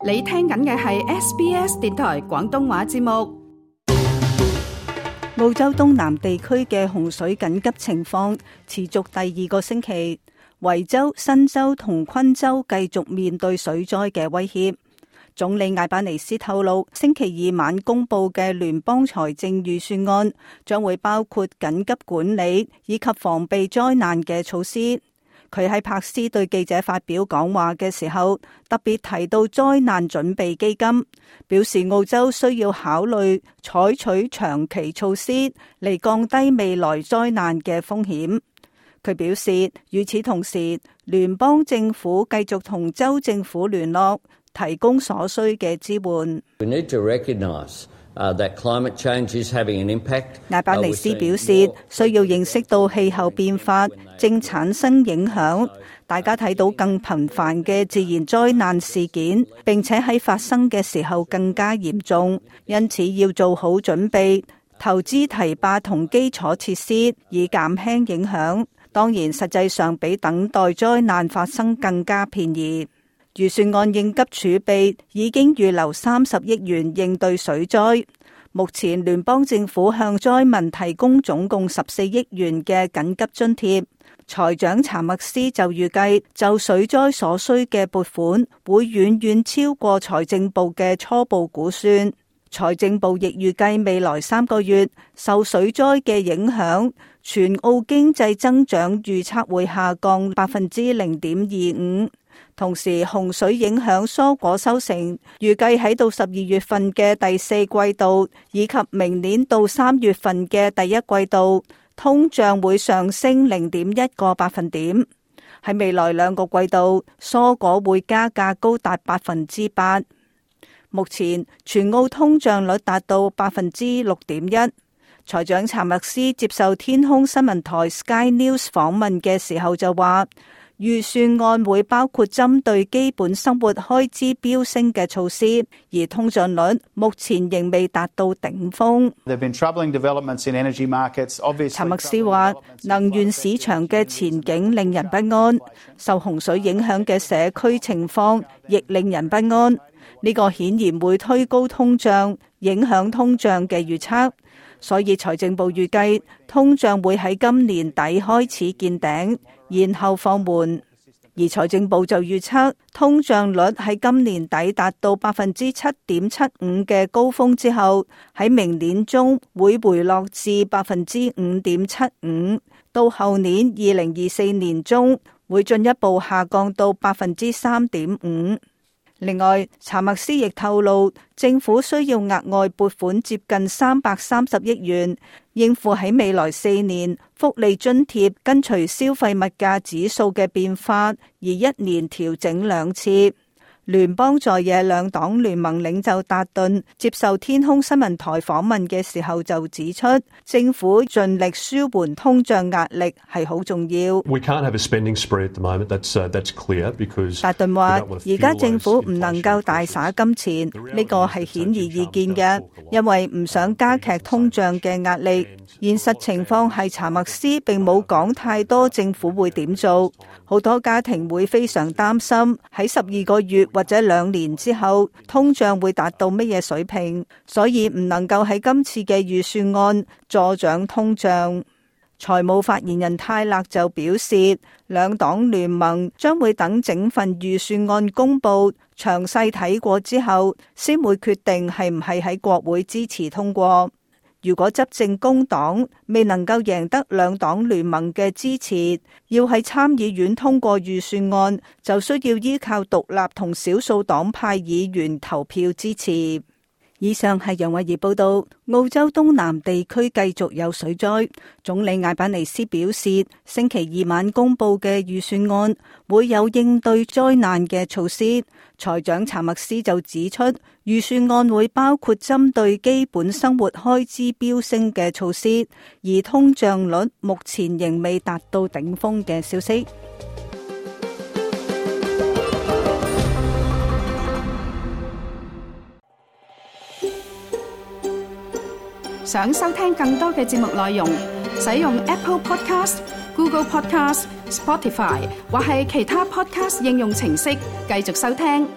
你聽緊嘅係 SBS 電台廣東話節目。澳洲東南地區嘅洪水緊急情況持續第二個星期，維州、新州同昆州繼續面對水災嘅威脅。總理艾巴尼斯透露，星期二晚公布嘅聯邦財政預算案將會包括緊急管理以及防備災難嘅措施。佢喺柏斯對記者發表講話嘅時候，特別提到災難準備基金，表示澳洲需要考慮採取長期措施嚟降低未來災難嘅風險。佢表示，與此同時，聯邦政府繼續同州政府聯絡，提供所需嘅支援。艾巴尼斯表示，需要認識到氣候變化正產生影響，大家睇到更頻繁嘅自然災難事件，並且喺發生嘅時候更加嚴重，因此要做好準備，投資堤壩同基礎設施，以減輕影響。當然，實際上比等待災難發生更加便宜。預算案應急儲備已經預留30億元應對水災。目前聯邦政府向災民提供總共14億元嘅緊急津貼。財長查默斯就預計就水災所需嘅撥款會遠遠超過財政部嘅初步估算。財政部亦預計未來3個月受水災嘅影響，全澳經濟增長預測會下降0.25%。同時，洪水影響蔬果收成，預計喺到12月份嘅第4季度，以及明年到3月份嘅第1季度，通脹會上升0.1個百分點。喺未來2個季度，蔬果會加價高達8%。目前，全澳通脹率達到6.1%。財長查默斯接受天空新聞台 Sky News 訪問嘅時候就話，預算案會包括針對基本生活開支飆升嘅措施，而通脹率目前仍未達到頂峰。查默斯話，能源市場嘅前景令人不安，受洪水影響嘅社區情況亦令人不安。呢個顯然會推高通脹，影響通脹嘅預測。所以財政部預計通脹會喺今年底開始見頂，然後放緩。而財政部就預測通脹率喺今年底達到7.75%嘅高峰之後，喺明年中會回落至5.75%，到後年2024年中會進一步下降到3.5%。另外，查默斯亦透露，政府需要額外撥款接近330億元，應付喺未來4年福利津貼跟隨消費物價指數嘅變化，而1年調整2次。聯邦在野兩黨聯盟領袖達頓接受天空新聞台訪問嘅時候就指出，政府盡力舒緩通脹壓力係好重要。達頓話，而家政府唔能夠大灑金錢，呢個係顯而易見嘅，因為唔想加劇通脹嘅壓力。現實情況係查默斯並冇講太多政府會點做，好多家庭會非常擔心喺12個月或者2年之後通脹會達到乜嘢水平，所以唔能夠喺今次嘅預算案助長通脹。財務發言人泰勒就表示，兩黨聯盟將會等整份預算案公布，詳細睇過之後先會決定係唔係喺國會支持通過。如果執政工黨未能夠贏得兩黨聯盟嘅支持，要喺參議院通過預算案，就需要依靠獨立同少數黨派議員投票支持。以上係楊慧儀報道。澳洲東南地區繼續有水災，總理艾巴尼斯表示，星期二晚公布嘅預算案會有應對災難嘅措施。財長查默斯就指出，預算案會包括針對基本生活開支飆升嘅措施，而通脹率目前仍未達到頂峰嘅消息。想收聽更多嘅節目內容，使用 Apple Podcast、Google Podcast、Spotify 或係其他 Podcast 應用程式繼續收聽。